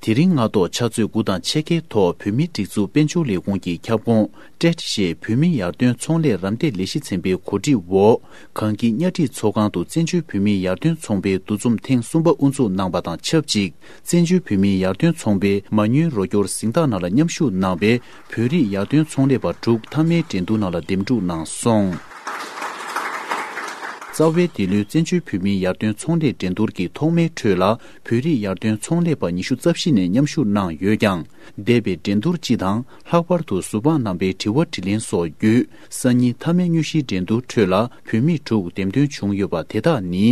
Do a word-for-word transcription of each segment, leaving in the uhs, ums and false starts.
དེ་རིང་སྔ་དྲོ་ཕྱག་ཚོད་དགུ་དང་ཕྱེད་ཀའི་ཐོག་བོད་མིའི་སྒྲིག་འཛུགས་དཔལ་འབྱོར་ལས་ཁུངས་ཀྱི་ཁྱབ་ཁོངས་ཊེཊ་ཞེས་བོད་མིའི་ཡར་ཐོན་ཚོང་ལས་རམ་འདེགས་ལས་གཞི་ཚན་པའི་གོ་སྒྲིག་འོག་གངས་སྐྱིད་གཉའ་ཁྲི་ཚོགས་ཁང་དུ་བཙན་བྱོལ་བོད་མིའི་ཡར་ཐོན་ཚོང་པའི་འདུ་འཛོམས་ཐེངས་གསུམ་པ་དབུ་འཛུགས་གནང་བ་དང་ཆབས་ཅིག་བཙན་བྱོལ་བོད་མིའི་ཡར་ཐོན་ཚོང་པའི་མ་དངུལ་རོགས་སྐྱོར་གཟེངས་རྟགས་ནང་ལ་མཉམ་ཞུགས་གནང་བའི་བོད་རིགས་ཡར་ཐོན་ཚོང་ལས་པ་དྲུག་མཐའ་མའི་འགྲན་བསྡུར་ནང་ལ་འདེམས་སྒྲུག་གནང་སོང་། རྩ་བའི་འདི་ལོའི་བཙན་བྱོལ་བོད་མིའི་ཡར་ཐོན་ཚོང་ལས་འགྲན་བསྡུར་གྱི་ཐོག་མའི་ཁྲོད་ལ་བོད་རིགས་ཡར་ཐོན་ཚོང་ལས་པ་ཉི་ཤུ་རྩ་བཞི་ནས་མཉམ་ཞུགས་གནང་ཡོད་ཀྱང་། འདས་པའི་འགྲན་བསྡུར་སྤྱི་དང་ལྷག་པར་དུ་ཟུར་དཔང་རྣམ་པའི་དྲི་བ་དྲིས་ལན་སོགས་བརྒྱུད་སང་ཉིན་མཐའ་མའི་དངོས་གཞིའི་འགྲན་བསྡུར་ཁྲོད་ལ་བོད་མི་དྲུག་འདེམས་ཐོན་བྱུང་ཡོད་པ་དེ་དག་ནི།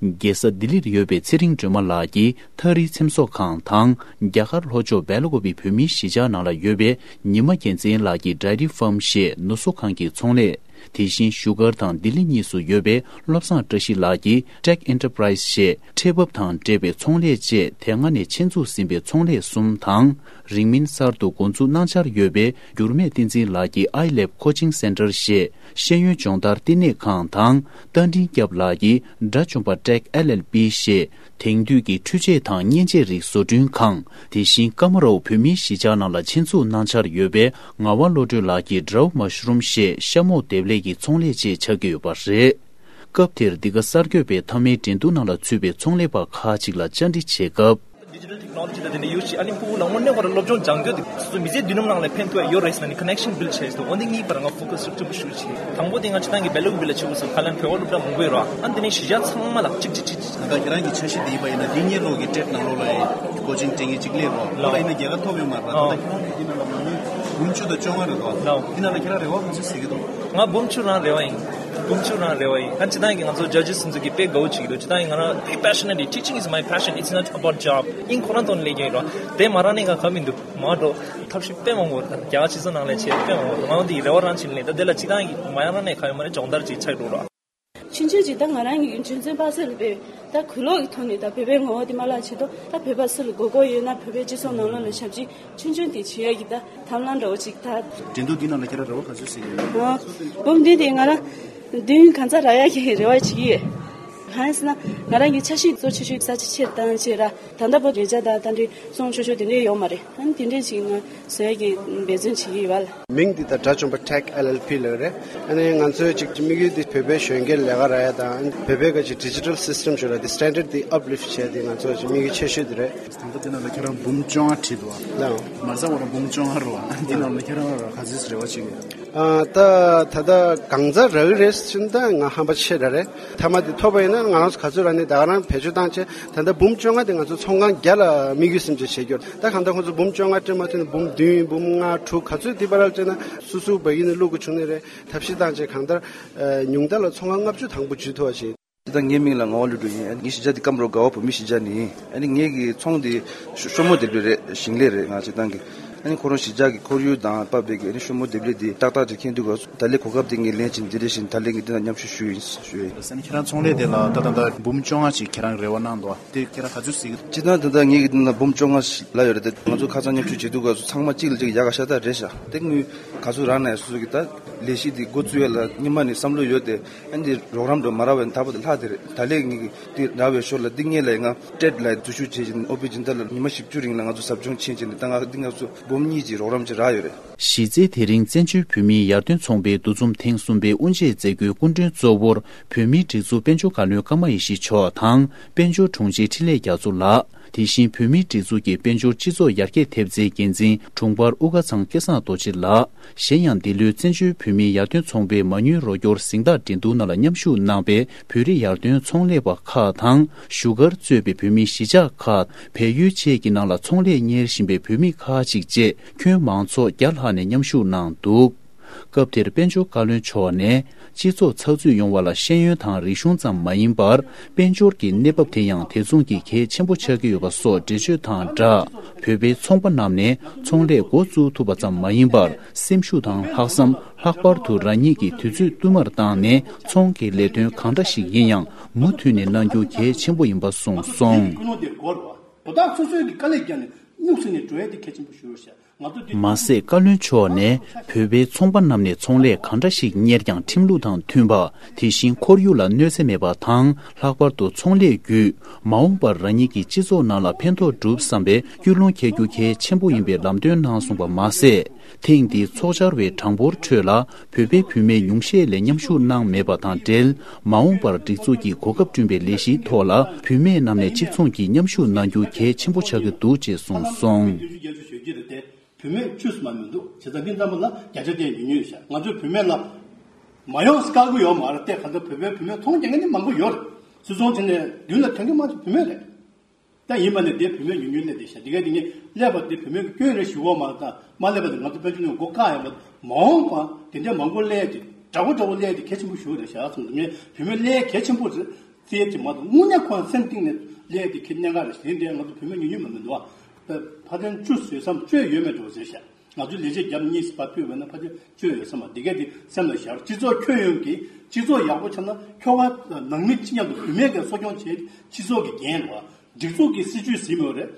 རྒྱལ་ས་ལྡི་ལིར་ཡོད་པའི་ཚེ་རིང་སྒྲོལ་མ་ལགས་ཀྱིས་ཐག་རིས་ཚེམ་བཟོ་ཁང་དང་རྒྱ་གར་ལྷོ་ཕྱོགས་སྦེལ་ཀོབ་པའི་བོད་མིའི་གཞིས་ཆགས་ནང་ལ་ཡོད་པའི་ཉི་མ་རྒྱལ་མཚན་ལགས་ཀྱིས་ཌའི་རི་ཕཱམ་ཞེས་ནུ་གསོ་ཁང་གི་ཚོང་ལས། དེ་བཞིན་བཞུགས་སྒར་དང་ལྡི་ལི་གཉིས་སུ་ཡོད་པའི་བློ་བཟང་བཀྲ་ཤིས་ལགས་ཀྱིས་ཊེག་ཨེན་ཊར་པ་རའི་ཛི་ཞེས་ཁྲལ་འབབ་དང་འབྲེལ་བའི་ཚོང་ལས་བཅས་དེ་སྔ་ནས་ཆེད་འཛུགས་ཟིན་པའི་ཚོང་ལས་གསུམ་དང་། རིང་མིན་གསར་དུ་འགོ་འཛུགས་གནང་འཆར་ཡོད་པའི་འགྱུར་མེད་བསྟན་འཛིན་ལགས་ཀྱིས་ཨའི་ལེབ་ཀོ་ཆིང་སེན་ཊར་ཞེས་ཤེས་ཡོན་སྦྱོང་བརྡར་བསྟི་གནས་ཁང་དང་། རྟ་མགྲིན་སྐྱབས་ལགས་ཀྱིས་དགྲ་བཅོམ་པ་ཊེག་ཨེལ་ཨེལ་པི་ཞེས། དེང་དུས་ཀྱི་འཕྲུལ་ཆས་དང་མཉེན་ཆས་རིགས་བཟོ་སྐྲུན་ཁང་། དེ་བཞིན་ཀ་མ་རོ་བོད་མིའི་གཞིས་ཆགས་ནང་ལ་ཆེད་འཛུགས་གནང་འཆར་ཡོད་པའི་ངག་དབང་བློ་གྲོས་ལགས་ཀྱིས་ཌའོ་མ་ཤ་རུམ་ཞེས་ཤ་མོག་འདེབས་ལས་ཀྱི་ཚོང་ལས་བཅས་ཆགས་ཀྱི་ཡོད་པ་རེད། སྐབས་དེར་འདི་ག་གསར་འགོད་པས་མཐའ་མའི་འགྲན་བསྡུར་ནང་ལ་ཚུད་པའི་ཚོང་ལས་པ་ཁག་ཅིག་ལ་བཅར་འདྲི་བྱེད་སྐབས། ཌི་ཇི་ཊལ་ཊེག་ནོ་ལོ་ཇི་དང་དེ་འདྲ་ཡོད་ཅིག་ཨ་ནི་ཕྲུ་གུ་ལ་དངོས་གནས་ཁོ་རང་སློབ་སྦྱོང་སྦྱང་རྒྱུ་དེ་སོ་སོ་མི་ཚེ་མདུན་ལམ་ནང་ལ་ཕན་ཐོགས་ཡ་ཡོད་རེད་ཟེར་ནས་ཀོ་ནེག་ཤན་བིལ་བྱས་སོང་། འོ་འདི་གཉིས་བར་ང་ཕོ་ཀ་སི་ཤུགས་ཆེན་པོ་ཞུ་བྱས། དང་པོ་དེ་ང་ཅི་ཐང་གི་སྦེལ་ཀོབ་པ་ལ་ཆེ་བོ་སོང་ཁ་ལན་བོད་པ་སློབ་གྲྭ་མང་པོ་ཡོད་ར། ཨ་ནི་དེ་ནས་གཞིས་ཆགས་ཚང་མ་ལ་གཅིག་གཅིག་གཅིག་གཅིག་ད་ལྟ་ཁྱེད་རང་གི་འཆར་གཞི་དེ་ཡིན་པ་ཡིན་ན་འདི་གཉིས་ལོག་གི་ཊེཊ་ནང་ལོགས་ལ་ཡིན་ཀོ་ཆིང་སྤྲད་མཁན་གཅིག་སླེབས་རོགས་ལ་ཡིན་ན་རྒྱལ་ཁ་ཐོབ་ཡོད་མ་རེད། ད་ལྟ་ཁྱེད་རང་གི་འདི་ནང་ལ་མ་དངུལ་འབུམ་བཅུ་དང་བཅོ་ལྔ་རེད་རོགས། འདི་ནང་ལ་ཁྱེད་རང་རེ་བ་ག་ཚོད་ཟེར་གི་འདུག་ང་འབུམ་བཅུ་རང་རེ་བ་ཡིན། འབུམ་བཅུ་རང་རེ་བ་ཡིན། ཨ་ནི་སྤྱིར་བཏང་གི་ང་ཚོ་ཇ་ཇི་སི་ཚོ་གི་དཔེ་དགའ་བོ་བྱེད་ཀྱི་འདུག་སྤྱིར་བཏང་གི་ང་རང་དཔེ་པེ་ཤ་ནེཊ་ཡིན། Teaching is my passion, it's not about job. ཨིན་ཁོ་རང་ཐོག་ནས་སླེབས་ཀྱི་ཡིན་རོགས། དེ་མ་རང་ནས་ང་ག་མི་འདུག་མ་འགྲོ། ཐབས་ཤེས་དཔེ་མང་པོ་རྒྱ་གར་སྤྱི་ཚོགས་ནང་ལས་བྱས་དཔེ་མང་པོ་ང་འོན་ཏེ་རེ་བ་རང་བྱེད་ལས་ད་དེ་ལ་སྤྱིར་བཏང་གི་མ་ཡང་རང་ནས་ག་ཡོད་མ་རེད། སྦྱོང་བརྡར་ཅིག་ཆགས་འགྲོ་རོགས། ཆུང་ཆུང་ཅིག་ད་ང་རང་གི་ཆུང་ཆུང་པ་སེ་ལ་བོད་ད་གུ་ལོག་གི་ཐོག་ནས་ད་བོད་པའི་ངོ་བོ་དེ་མ་བརླག་ཆེད་དུ་ད་བོད་པ་སུ་ལ་དགོས་མཁོ་ཡོད་ན་བོད་པའི་སྤྱི་ཚོགས་ནང་ལོགས་ལ་ཞབས་ཕྱི་ཆུང་ཆུང་དེ་བྱེད་ཡ་གི་ད་ཐབས་ལམ་འདྲ་བོ་ཅིག་ད། འགྲན་བསྡུར་འདི་ནང་ལ་ཁྱེད་རང་རེ་བ་ག་ཚོད་ཟེར་གྱི་ཡོད། འོ། འབུམ་བདུན་དེ་ང་རང་བདུན་གང་ཚ་རག་ཡ་གི་རེ་བ་བྱེད་ཀྱི་ཡོད། གང་ཡིན་ཟེར་ན་ང་རང་གི་འཆར་གཞི་གཙོ་ཆེ་ཤོས་ས་ཆ་ཆེར་བཏང་བྱས་ར། ད་ལྟ་བར་དུ་ཉེ་ཆར་དང་ད་འདྲའི་སོང་ཆོག་ཆོག་དེ་འདྲའི་ཡོད་མ་རེད། ཨ་ནི་དེ་འདྲའི་ཅིག་ང་བཟོ་ཡ་གི་འབད་བརྩོན་བྱེད་ཀྱི་ཡོད་པ་ལ། མིང་འདི་ད་དགྲ་བཅོམ་པ་ཊེག་ཨེལ་ཨེལ་པི་ལབ་རེད། ཨ་ནི་ང་ཚོའི་ཅིག་དམིགས་ཡུལ་འདི་བོད་པའི་གཞོན་སྐྱེས་ལས་ཀ་རག་ཡ་དང་བོད་པའི་ག་ཅིག་ཌི་ཇི་ཊལ་སི་སི་ཊམ་ཞིག་ལ་འདི་སི་ཊན་ཌར་ཌི་འདི་ཨབ་ལིཕ་ཊི་བྱས་འདི་ང་ཚོའི་ཅིག་དམིགས་ཡུལ་ཆེ་ཤོས་འདི་རེད། ད་ལྟ་འདི་ནང་ལ་ཁྱེད་རང་འབུམ་བཅོ་ལྔ་བྲིས་འདུག་བ། ལགས། མ་རྩ་བ་རང་འབུམ་བཅོ་ལྔ་རེད་བ། འདི་ནང་ལ་ཁྱེད་རང་རང་ག་ཚོད་རེ་བ་བྱེད་ཀྱི་ཡོད། ཨ་ད་ད་ལྟ་གང་ཚ་རག་གི་རེད་ཟེར་ན་ད་ང་ཧམ་པ་ཆེ་དྲགས་རེད། མཐའ་མ་དེ་ཐོབ་པ་ཡིན་ན་ང་རང་ཚོ་ག་ཚོད་རག་ནས་ད་ག་རང་བེད་སྤྱོད་བཏང་བྱས་ད་ལྟ་འབུམ་བཅོ་ལྔ་དེ་ང་ཚོ་ཚོང་ཁང་བརྒྱ་ལ་དམིགས་ཡུལ་སེམས་ཅན་བྱེད་རྒྱུར་ད་གང་ལྟར་ཁོང་ཚོ་འབུམ་བཅོ་ལྔ་སྤྲད་མ་ཐུབ་ན་འབུམ་བདུན་འབུམ་ལྔ་དྲུག་ག་ཚོད་དེ་བར་ལ་སྤྲད་ན་སུ་སུ་བ་ཡིན་ན་བླུག་དགོས་བྱུང་ནི་རེད། ཐབས་ཤེས་བཏང་བྱས་གང་ལྟར་ཉུང་མཐའ་ལ་ཚོང་ཁང་ལྔ་བཅུ་དང་པོ་འཇུས་ཐུབ་པ་བྱེད། ད་ངའི་མིང་ལ་ངག་དབང་བློ་གྲོས་ཡིན། ངའི་གཞིས་ཆགས་འདི་སྐམ་རོ་དགའ་བ་བོད་མི་གཞིས་ཆགས་ནས་ཡིན། ཨ་ནི་ངའི་གི་ཚོང་འདི་ཤོ་ཤོ་མོ་འདེབས་ལས་རེད། ཞིང་ལས་རེད་ང་སྤྱིར་བཏང་གི། ཨ་ནི་ཁོ་རང་གཞིས་ཆགས་ཀྱི་ཁོར་ཡུག་དང་བབས་པའི་གི་ཨ་ནི་ཤོ་མོ་འདེབས་ལས་འདི་ཏག་ཏག་ཅིག་མཁྱེན་འདུག་ག་ད་ལས་གོ་སྐབས་འདི་ངས་ལེན་བྱས་འདི་འདྲ་བཞིན་ད་ལས་ངས་འདི་ན་མཉམ་ཞུགས་ཞུས་ཡིན་ཞུ་ཡིན། ཨ་ནི་ཁྱེད་རང་ཚོང་ལས་དེ་ལ་ད་ད་ད་འབུམ་བཅོ་ལྔ་ཅིག་ཁྱེད་རང་རེ་བ་གནང་འདུག་བ་དེ་ཁྱེད་རང་ག་ཚོད་ཟེར་གི་འདུག་སྤྱིར་བཏང་ད་ལྟ་ངའི་གི་འདི་ན་འབུམ་བཅོ་ལྔ་ལ་ཡོད་རེད་དེ། ང་ཚོ་ཁ་སང་མཉམ་ཞུགས་བྱེད་དུས་སྐབས་སུ་ཚང་མ་གཅིག་ལ་གཅིག་ཡག་ག་ཤ་སྟག་རེད་ཤག་དེ་དངུལ་ག་ཚོད་རག་ན་ཡང་སོ་སོ་གི་ད་ལས་གཞི་འདི་འགོ་བཙུགས་ཡ་ལ་སྔོན་མ་ནས་བསམ་བློ་ཡོད་དེ། ཨ་ནི་རོགས་རམ་འགྲོ་མ་རག་པའི་ད་བར་དུ་ལྷག་དེ་རེད། ད་ལས་ངེད་ཀྱི་དེ་རག་པའི་ཞོར་ལ་འདི་ངེད་ལ་ང་ཊེཊ་ལ་འཛུལ་ཞུགས་བྱེད་བཞིན་ཨོ་པི་སྦྱིན་བདག་ལ་ཉི་མ་བཞི་བཅུ་རིང་ལ་ང་ཚོ་ཟབ་སྦྱོང་ཕྱིན་བྱས་ནས་ད་ང་འདི་ང་ཚོ་འབུམ་གཉིས་ཀྱི་རོགས་རམ་ཅིག་རག་ཡོད་རེད། གཞི་རྩའི་དེ་རིང་བཙན་བྱོལ་བོད་མིའི་ཡར་ཐོན་ཚོང་པའི་འདུ་འཛོམས་ཐེངས་གསུམ་པའི་དབུ་འབྱེད་མཛད་སྒོའི་སྐུ་མགྲོན་གཙོ་བོར་བོད་མིའི་སྒྲིག་འཛུགས་དཔལ་འབྱོར་བཀའ་བློན་ཀརྨ་ཡེ་ཤེས་མཆོག་དང་དཔལ་འབྱོར་དྲུང་ཆེ་འཕྲིན་ལས་རྒྱ་མཚོ་ལགས། དེ་བཞིན་བོད་མིའི་སྒྲིག་འཛུགས་ཀྱི་དཔལ་འབྱོར་སྤྱི་ཚོགས་ཡར་རྒྱས་ཐེབས་རྩའི་འགན་འཛིན་དྲུང་འཕར་དབུ་དཀར་ཚང་སྐལ་བཟང་རྡོ་རྗེ་ལགས། གཞན་ཡང་འདི་ལོའི་བཙན་བྱོལ་བོད་མིའི་ཡར་ཐོན་ཚོང་པའི་མ་དངུལ་རོགས་སྐྱོར་གཟེངས་རྟགས་འགྲན་བསྡུར་ནང་ལ་མཉམ་ཞུགས་གནང་པའི་བོད་རིགས་ཡར་ཐོན་ཚོང་ལས་པ་ཁག་དང་བཞུགས་སྒར་གཙོས་པའི་བོད་མིའི་གཞིས་ཆགས་ཁག་བལ་ཡུལ་བཅས་ཀྱི་ནང་ལ་ཚོང་ལས་གཉེར་བཞིན་པའི་བོད་མི་ཁག་ཅིག་བཅས་ཁྱོན་མང་ཚོགས་བརྒྱ་ལྷག་ནས་མཉམ་ཞུགས་གནང་འདུག་སྐབས་དེར་དཔལ་འབྱོར་བཀའ་བློན་མཆོག་ནས། སྤྱི་ཚོགས་ཚགས་ཚུད་ཡོང་བ་ལ་ཤེས་ཡོན་དང་རིག་གཞུང་ཙམ་མ་ཡིན་པར། དཔལ་འབྱོར་གྱི་གནས་བབ་དེ་ཡང་དེ་མཚུངས་ཀྱི་གལ་ཆེན་པོ་ཆགས་ཀྱི་ཡོད་པ་སོགས་འགྲེལ་བརྗོད་དང་སྦྲགས། བོད་པའི་ཚོང་པ་རྣམས་ནས་ཚོང་ལས་འགོ་བཙུགས་ཐུབ་པ་ཙམ་མ་ཡིན་པར། སེམས་ཤུགས་དང་ལྷག་བསམ། ལྷག་པར་དུ་རང་ཉིད་ཀྱི་དུས་ཚོད་བསྟུད་མར་བཏང་ནས། ཚོང་གི་ལས་དོན་གང་འདྲ་ཞིག་ཡིན་ཡང་མུ་མཐུད་ནས་གནང་རྒྱུ་གལ་ཆེན་པོ་ཡིན་པ་གསུངས་སོང་། ཁོ་ན་དེ་སྐོར་བ། དོ་བདག་སོ་སོའི་གི་དཀའ་ལས་བརྒྱབ་ནས། སྨྱུག་ཟེར་ནས་འགྲོ་ཡ་དེ་གལ་ཆེན་པོ་ཞིག་རེད་ཤག་ང་ཚོ་འདི། མ་ཟད། བཀའ་བློན་མཆོག་ནས་བོད་པའི་ཚོང་པ་རྣམས་ནས་ཚོང་ལས་གང་འདྲ་ཞིག་གཉེར་ཀྱང་ཁྲིམས་ལུགས་དང་མཐུན་པ། དེ་བཞིན་ཁོར་ཡུག་ལ་གནོད་འཚེ་མེད་པ་དང་། ལྷག་པར་དུ་ཚོང་ལས་བརྒྱུད་མ་འོངས་པར་རང་ཉིད་ཀྱི་སྤྱི་ཚོགས་ནང་ལ་ཕན་ཐོགས་སྒྲུབ་བསམ་པའི་ཀུན་སློང་འཁྱེར་རྒྱུ་གལ་ཆེན་པོ་ཡིན་པའི་ལམ་སྟོན་གནང་སོང་བ་མ་ཟད། ཐེངས་འདིའི་ཚོགས་བཅར་བའི་གྲངས་འབོར་ཁྲོད་ལ་བོད་པའི་བུད་མེད་ཉུང་ཤས་ལས་མཉམ་ཞུགས་གནང་མེད་པ་དང་འབྲེལ། མ་འོངས་པར་སྒྲིག་འཛུགས་ཀྱིས་གོ་སྐབས་བསྐྲུན་པའི་ལས་གཞིའི་ཐོག་ལ་བུད་མེད་རྣམས་ནས་གཅིག་མཚུངས་ཀྱིས་མཉམ་ཞུགས་གནང་རྒྱུ་གལ་ཆེན་པོ་ཆགས་ཀྱི་འདུག་ཅེས་གསུངས་སོང་། བདུན་ཅུ་བརྒྱད་ཅུ་ཞེ་གཅིག་རེད་དེ། བུད་མེད་བཅུ་ཙམ་མ་མི་འདུག་བྱས་ཙང་འདི་ཙམ་པ་ལ་བརྒྱ་ཆ་བརྒྱ་ཉུང་ཉུང་ཡོད་ཤག་ང་ཚོའི་བུད་མེད་ལ་མ་ཡོང་དཀའ་གི་ཡོད་མ་རེད་དེ། ག་ཚོད་བོད་པའི་བུད་མེད་ཚོང་རྒྱག་མཁན་ནི་མང་པོ་ཡོད་རེད། སུད་ཚོང་བྱས་ནས་མདུན་ལ་ཐོན་གི་མང་ཆེ་བུད་མེད་རེད། ད་ཡིན་པ་ནི་དེ་བུད་མེད་ཉུང་ཉུང་སླེབས་བསྡད་ཤག་འདི་ག་འདི་ངས་སླེབས་པ་དེ་བུད་མེད་ཀྱི་སྐྱོན་རེད་ཞུ་བ་མ་རེད། ད་མ་སླེབས་པ་དེ་ང་ཚོ་དཔལ་འབྱོར་ནས་མགོ་བཀག་ཡོད་པ། མ་འོངས་པ་དེ་འདྲ་མང་པོ་སླེབས་ཏེ་འདྲ་པོ་འདྲ་པོ་སླེབས་ཏེ་གལ་ཆེན་པོ་ཞིག་རེད་ཤག་སོང་ངས་བུད་མེད་སླེབས་གལ་ཆེན་པོ་རེད། རྩིས་ཀྱི་མ་གཏོགས་དངོས་གནས་ཁོ་རང་སེམས་གཏིང་ནས་ལས་དེ་ཁྱེད་གནད་འགག་རེད་ཟེར་དེ་ང་ཚོ་བུད་མེད་ཉུང་ཉུང་མ་མི་འདུག་ཨ། ཕ་ཕྲན་བཅུ་ཟེར་བསམ་བཅོས་ཡོད་མེད་འགྲོ་ཟེར་ཤག་ང་ཚོའི་ལས་བྱེད་རྒྱབ་གཉིས་སུ་ཕར་ཕུད་པ་ན་ཕ་ཕྲན་བཅོས་ཡོད་བསམ་པ་འདི་གས་དེ་སེམས་ལ་བཞག་སྤྱི་ཚོགས་ཁྱོན་ཡོངས་ཀྱི་སྤྱི་ཚོགས་ཡག་པོ་ཆགས་ན་ཁྱོ་ག་ནང་མི་ཅི་མཉམ་དུ་བུད་མེད་ཀྱི་གསོ་སྐྱོང་བྱེད་སྤྱི་ཚོགས་ཀྱི་འགན་རེད་བ། སྒྲིག་འཛུགས་ཀྱི་སྲིད་ཇུས་ཟིན་ཡོད་རེད།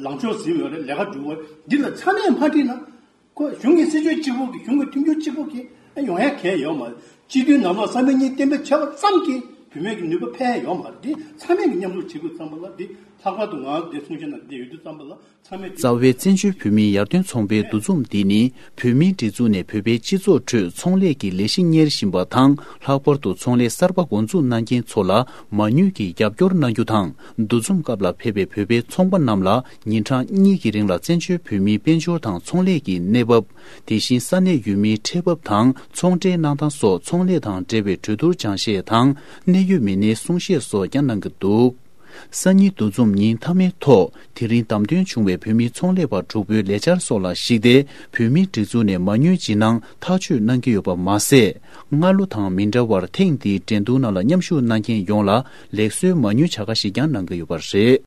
ལངས་ཕྱོགས་ཟིན་ཡོད་རེད། ལས་ཀ་སྒྲུབ་པ་འདི་ལ་ཚང་མས་མ་ཁྲིད་ན། ཁོ་གཞུང་གི་སྲིད་ཇུས་གཅིག་པོ་གི་གཞུང་གི་མཐུན་འགྱུར་གཅིག་པོ་གི་ཡོང་ཡ་གལ་ཡོད་མ་རེད། སྤྱི་འཐུས་ནང་ལོགས་ས་མིག་གཉིས་གཏན་འབེབས་བྱས་པ་ཙམ་གྱིས་བུད་མེད་ཀྱི་ནུས་པ་འཕེལ་ཡ་ཡོད་མ་རེད། འདི་ཚང་མས་ཀྱི་མཉམ་རུབ་བྱེད་དགོས་ཙམ་པ་ལ་འདི་ལྷག་པར་དུ་ང་འདི་གསུང་བཤད་ནང་འདི་ཡོད་དུས་ཙམ་པ་ལ་ཚང་མས་འདི། རྩ་བའི་བཙན་བྱོལ་བོད་མིའི་ཡར་ཐོན་ཚོང་པའི་འདུ་འཛོམས་འདི་ནི་བོད་མིའི་སྒྲིག་འཛུགས་ནས་བོད་པའི་སྤྱི་ཚོགས་ཁྲོད་ཚོང་ལས་ཀྱི་ལས་གཞི་གཉེར་བཞིན་པ་དང་། ལྷག་པར་དུ་ཚོང་ལས་གསར་པ་འགོ་འཛུགས་གནང་མཁན་ཚོ་ལ་མ་དངུལ་གྱི་རྒྱབ་སྐྱོར་གནང་རྒྱུ་དང་། འདུ་འཛོམས་སྐབས་ལ་ཕེབས་པའི་བོད་པའི་ཚོང་པ་རྣམས་ལ་ཉིན་གྲངས་གཉིས་ཀྱི་རིང་ལ་བཙན་བྱོལ་བོད་མིའི་དཔལ་འབྱོར་དང་ཚོང་ལས་ཀྱི་གནས་བབ། དེ་བཞིན་ས་གནས་ཡུལ་མིའི་ཁྲལ་འབབ་དང་ཚོང་འབྲེལ་གནང་སྟངས་སོགས་ཚོང་ལས་དང་འབྲེལ་བའི་གྲོས་བསྡུར་སྦྱང་བཤད་དང་གནད་ཡོད་མི་སྣའི་གསུང་བཤད་སོགས་ཀྱང་གནང་གི་འདུག་སང་ཉིན་འདུ་འཛོམས་ཉིན་མཐའ་མའི་ཐོག་དེ་རིང་བདམས་ཐོན་བྱུང་བའི་བོད་མིའི་ཚོང་ལས་པ་དྲུག་པོའི་ལས་འཆར་སོགས་ལ་གཞིགས་ཏེ། བོད་མིའི་སྒྲིག་འཛུགས་ནས་མ་དངུལ་སྦྱིན་གནང་ཐག་གཅོད་གནང་གི་ཡོད་པ་མ་ཟད། སྔ་ལོ་དང་མི་འདྲ་བར་ཐེངས་འདིའི་འགྲན་བསྡུར་ནང་ལ་མཉམ་ཞུགས་གནང་མཁན་ཡོངས་ལ་ལེགས་གསོའི་མ་དངུལ་བྱ་དགའ་ཞིག་ཀྱང་གནང་གི་ཡོད་པ་རེད།